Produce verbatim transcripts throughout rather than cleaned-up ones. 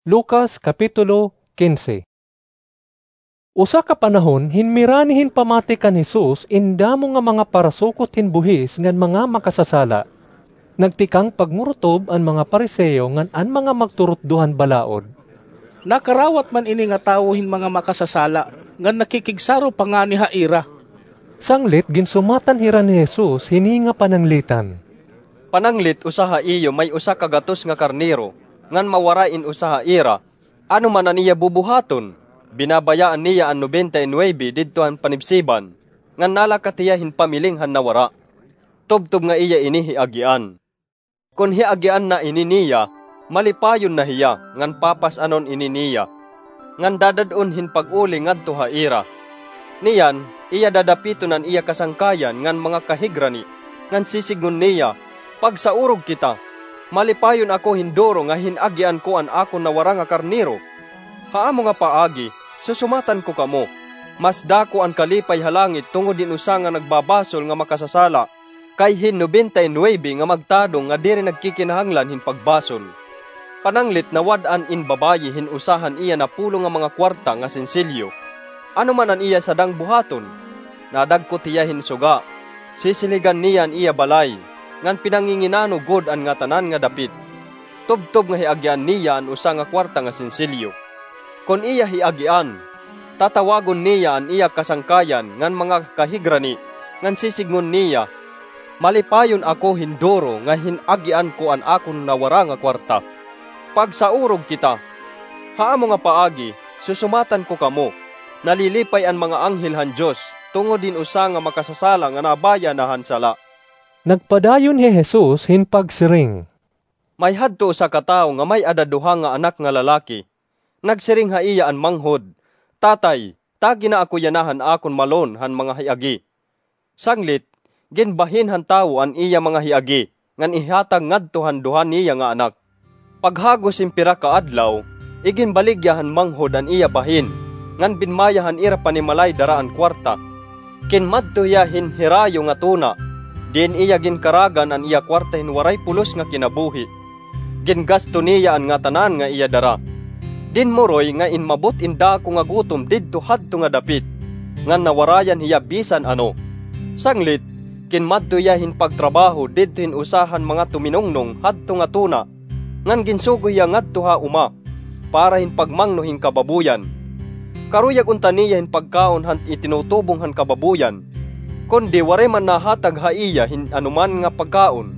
Lucas, Kapitulo quince. Usa ka panahon, hinmirani hin pamati kan Jesus in damo nga mga parasukot hin buhis ngan mga makasasala. Nagtikang pagmurutob an mga Fariseo ngan an mga magturutdo han balaod. Nakarawat man ini nga tawo hin mga makasasala, ngan nakikigsaro pa ngani ha ira. Sanglit ginsumatan hira ni Jesus hini nga pananglitan. Pananglit, usa ha iyo may usa ka gatos nga karnero, ngan mawara in usa ha ira. Ano man an iya bubuhaton? Binabayaan niya an nobenta y nuebe didto han panibsiban, ngan nalakat hiya hin pamiling han nawara. Tubtob nga iya ini hiagian. Kon hiagian na ini niya, malipayon na hiya, ngan papas-anon ini niya, ngan dadad-on hin pag-uli ngadto ha ira. Niyan, iya dadapiton an iya kasangkayan ngan mga kahigrani, ngan sisidngon niya, "Pagsaurog kita! Malipayon ako hin duro nga hin-agian ko an akon nawara nga karnero. Ha amo nga paagi, susumatan ko kamo, mas dako an kalipay ha langit tungod hin usa nga nagbabasol nga makasasala, kay hin nobenta y nuebe nga magtadong nga diri nagkikinahanglan hin pagbasol." Pananglit, nawad-an in babayi hin usa han iya napulo nga mga kuwarta nga sensilyo. Ano man an iya sadang buhaton? Nadagkot hiya hin suga. Sisiligan niya an iya balay, ngan pinanginginano gud an ngatanan nga dapit. Tubtob nga hiagian niya an usa nga kuwarta nga sensilyo. Kon iya hiagian, tatawagon niya an iya kasangkayan ngan mga kahigrani, ngan sisidngon niya, "Malipayon ako hin duro nga hin-agian ko an akon nawara nga kuwarta. Pagsaurog kita! Ha amo nga paagi, susumatan ko kamo, nalilipay an mga anghel han Dios tungod hin usa nga makasasala nga nabaya na han sala." Nagpadayon hi Jesus hin pagsiring, "May hadto usa ka tawo nga may-ada duha nga anak nga lalaki. Nagsiring ha iya an manghod, 'Tatay, tagi na ako yana han akon malon han mga hiagi.' Sanglit, ginbahin han tawo an iya mga hiagi, ngan ihatag ngadto han duha niya nga anak. Paghagos hin pira ka adlaw, iginbaligya han manghod an iya bahin, ngan binmaya han ira panimalay dara an kuwarta. Kinmadto hiya hin hirayo nga tuna, diin iya ginkaragan an iya kuwarta hin waray pulos nga kinabuhi. Gingasto niya an ngatanan nga iya dara. Dinmuroy nga inmabot in dako nga gutom didto hadto nga dapit, ngan nawarayan hiya bisan ano. Sanglit, kinmadto hiya hin pagtrabaho didto hin usa han mga tuminungnong hadto nga tuna, ngan ginsugo hiya ngadto ha uma para hin pagmangno hin kababoyan. Karuyag unta niya hin pagkaon han itinutubong han kababoyan, kundi waray man nahatag ha iya hin anoman nga pagkaon.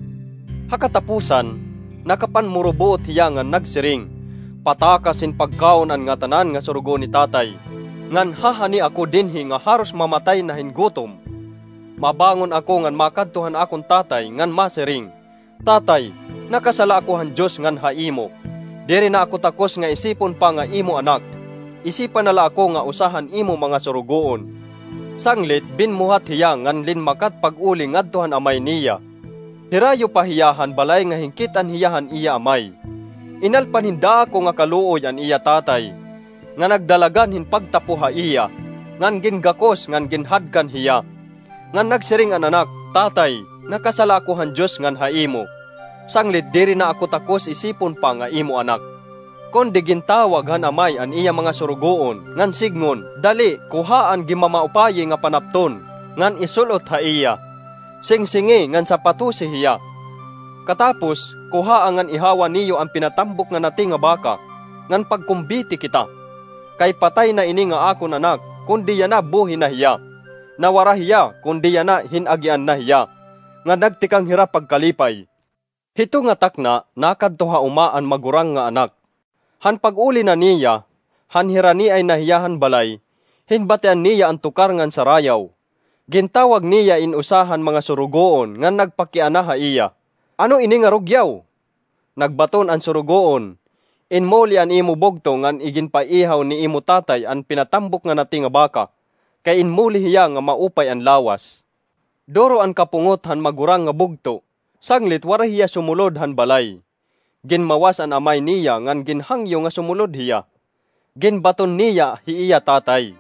Ha katapusan, nakapanmurubuot hiya ngan nagsiring, 'Patakas hin pagkaon an ngatanan nga surugo ni Tatay, ngan hahani ako dinhi nga haros mamatay na hin gutom. Mabangon ako ngan makadto han akon tatay ngan masiring, Tatay, nakasala ako han Dios ngan ha imo. Diri na ako takos nga isipon pa nga imo anak. Isipa na la ako nga usa han imo mga surugoon.' Sanglit, binmuhat hiya ngan linmakat pag-uli ngadto han amay niya. Hirayo pa hiya han balay nga hinkit-an hiya han iya amay. Inalpan hin dako nga kaluoy an iya tatay, nga nagdalagan hin pagtapo ha iya, ngan gingakos ngan ginhadkan hiya. Ngan nagsiring an anak, 'Tatay, nakasala ako han Dios ngan ha imo. Sanglit diri na ako takos isipon pa nga imo anak.' Kundi gintawag han amay an iya mga surugoon, ngan sidngon, 'Dali, kuhaa an ginmamaupayi nga panapton, ngan isul-ot ha iya. Singsingi ngan sapatosi hiya. Katapos, kuhaa ngan ihawa niyo an pinatambok nga nati nga baka, ngan pagkumbiti kita. Kay patay na ini nga akon anak, kundi yana buhi na hiya. Nawara hiya, kundi yana hin-agian na hiya.' Ngan nagtikang hira pagkalipay. Hito nga takna, nakadto ha uma an magurang nga anak. Han pag-uli na niya, han hiraniay na hiya han balay, hinbatian niya an tukar ngan sarayaw. Gintawag niya in usa han mga surugoon ngan nagpakiana ha iya, 'Ano ini nga rugyaw?' Nagbaton an surugoon, 'Inmuli an imo bugto ngan iginpaihaw ni imo tatay an pinatambok nga nati nga baka, kay inmuli hiya nga maupay an lawas.' Duro an kapungot han magurang nga bugto, sanglit waray hiya sumulod han balay. Ginmawas an amay niya ngan ginhangyo nga sumulod hiya. Ginbaton niya hi iya tatay,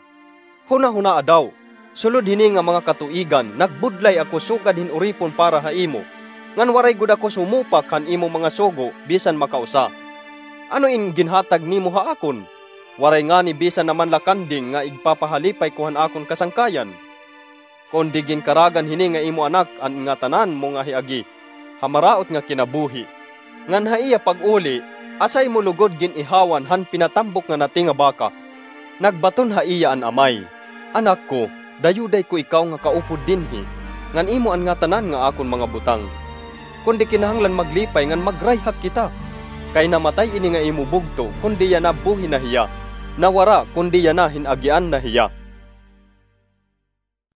'Hunahunaa daw, sulod hini nga mga katuigan, nagbudlay ako sugad hin uripon para ha imo, ngan waray gud ako sumupak han imo mga sugo bisan makausa. Ano in ginhatag nimo ha akon? Waray ngani bisan na man la kanding nga igpapahalipay ko han akon kasangkayan. Kundi ginkaragan hini nga imo anak an ngatanan mo nga hiagi ha maraot nga kinabuhi. Ngan ha iya pag-uli, asay mo lugod gin-ihawan han pinatambok nga nati nga baka. Nagbaton ha iya an amay, "Anak ko, dayuday ko ikaw nga kaupod dinhi, ngan imo an ngatanan nga akon mga butang. Kundi kinahanglan maglipay ngan magrayhak kita. Kay namatay ini nga imo bugto, kundi yana buhi na hiya. Nawara, kundi yana hin-agian na hiya."